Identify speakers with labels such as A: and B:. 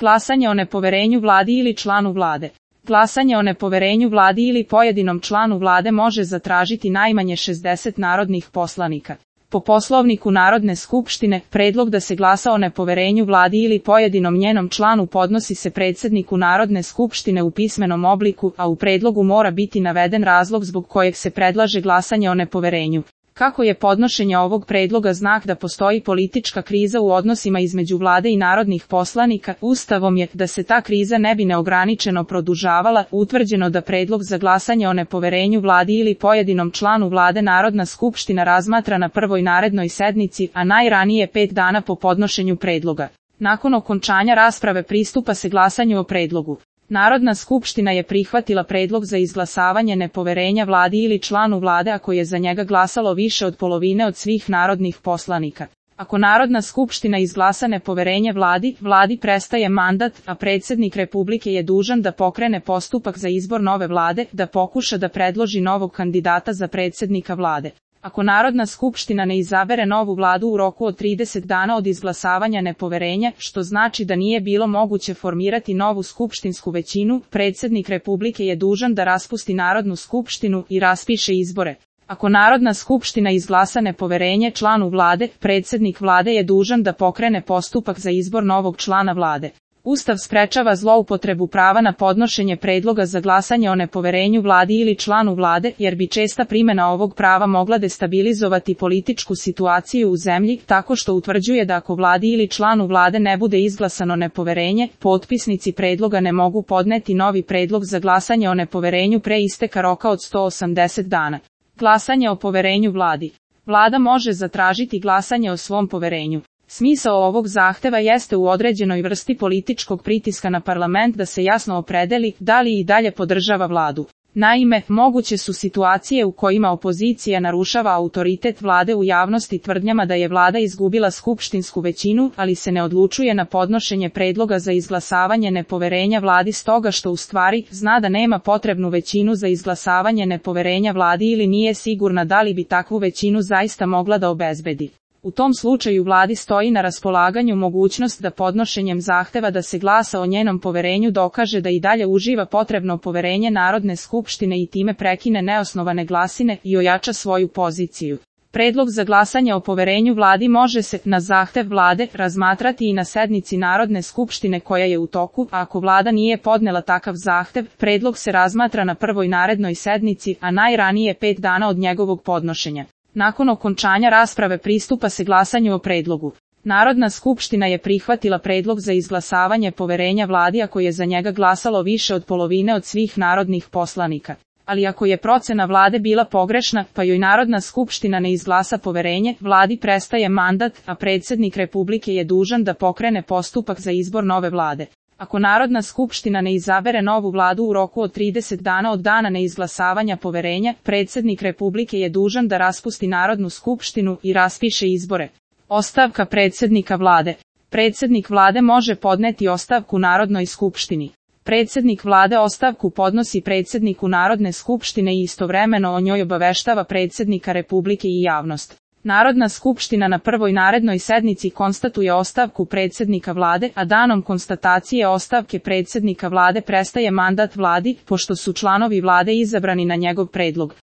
A: Glasanje o nepoverenju vladi ili članu vlade. Glasanje o nepoverenju vladi ili pojedinom članu vlade može zatražiti najmanje 60 narodnih poslanika. Po Poslovniku Narodne skupštine, predlog da se glasa o nepoverenju vladi ili pojedinom njenom članu podnosi se predsjedniku Narodne skupštine u pismenom obliku, a u predlogu mora biti naveden razlog zbog kojeg se predlaže glasanje o nepoverenju. Kako je podnošenje ovog predloga znak da postoji politička kriza u odnosima između vlade i narodnih poslanika, Ustavom je, da se ta kriza ne bi neograničeno produžavala, utvrđeno da predlog za glasanje o nepoverenju vladi ili pojedinom članu vlade Narodna skupština razmatra na prvoj narednoj sednici, a najranije 5 dana po podnošenju predloga. Nakon okončanja rasprave pristupa se glasanju o predlogu. Narodna skupština je prihvatila predlog za izglasavanje nepoverenja vladi ili članu vlade ako je za njega glasalo više od polovine od svih narodnih poslanika. Ako Narodna skupština izglasa nepoverenje vladi prestaje mandat, a predsjednik Republike je dužan da pokrene postupak za izbor nove vlade, da pokuša da predloži novog kandidata za predsjednika vlade. Ako Narodna skupština ne izabere novu vladu u roku od 30 dana od izglasavanja nepoverenja, što znači da nije bilo moguće formirati novu skupštinsku većinu, predsjednik Republike je dužan da raspusti Narodnu skupštinu i raspiše izbore. Ako Narodna skupština izglasa nepoverenje članu vlade, predsjednik vlade je dužan da pokrene postupak za izbor novog člana vlade. Ustav sprečava zloupotrebu prava na podnošenje predloga za glasanje o nepoverenju vladi ili članu vlade, jer bi česta primjena ovog prava mogla destabilizovati političku situaciju u zemlji, tako što utvrđuje da ako vladi ili članu vlade ne bude izglasano nepoverenje, potpisnici predloga ne mogu podneti novi predlog za glasanje o nepoverenju pre isteka roka od 180 dana. Glasanje o poverenju vladi. Vlada može zatražiti glasanje o svom poverenju. Smisao ovog zahteva jeste u određenoj vrsti političkog pritiska na parlament da se jasno opredeli da li i dalje podržava vladu. Naime, moguće su situacije u kojima opozicija narušava autoritet vlade u javnosti tvrdnjama da je vlada izgubila skupštinsku većinu, ali se ne odlučuje na podnošenje predloga za izglasavanje nepoverenja vladi stoga što u stvari zna da nema potrebnu većinu za izglasavanje nepoverenja vladi ili nije sigurna da li bi takvu većinu zaista mogla da obezbedi. U tom slučaju vladi stoji na raspolaganju mogućnost da podnošenjem zahteva da se glasa o njenom poverenju dokaže da i dalje uživa potrebno poverenje Narodne skupštine i time prekine neosnovane glasine i ojača svoju poziciju. Predlog za glasanje o poverenju vladi može se, na zahtev vlade, razmatrati i na sednici Narodne skupštine koja je u toku, a ako vlada nije podnela takav zahtev, predlog se razmatra na prvoj narednoj sednici, a najranije 5 dana od njegovog podnošenja. Nakon okončanja rasprave pristupa se glasanju o predlogu. Narodna skupština je prihvatila predlog za izglasavanje poverenja vladi ako je za njega glasalo više od polovine od svih narodnih poslanika. Ali ako je procena vlade bila pogrešna, pa joj Narodna skupština ne izglasa poverenje, vladi prestaje mandat, a predsjednik Republike je dužan da pokrene postupak za izbor nove vlade. Ako Narodna skupština ne izabere novu vladu u roku od 30 dana od dana neizglasavanja poverenja, predsjednik Republike je dužan da raspusti Narodnu skupštinu i raspiše izbore. Ostavka predsjednika vlade. Predsjednik vlade može podneti ostavku Narodnoj skupštini. Predsjednik vlade ostavku podnosi predsjedniku Narodne skupštine i istovremeno o njoj obaveštava predsjednika Republike i javnost. Narodna skupština na prvoj narednoj sednici konstatuje ostavku predsjednika vlade, a danom konstatacije ostavke predsjednika vlade prestaje mandat vladi, pošto su članovi vlade izabrani na njegov predlog.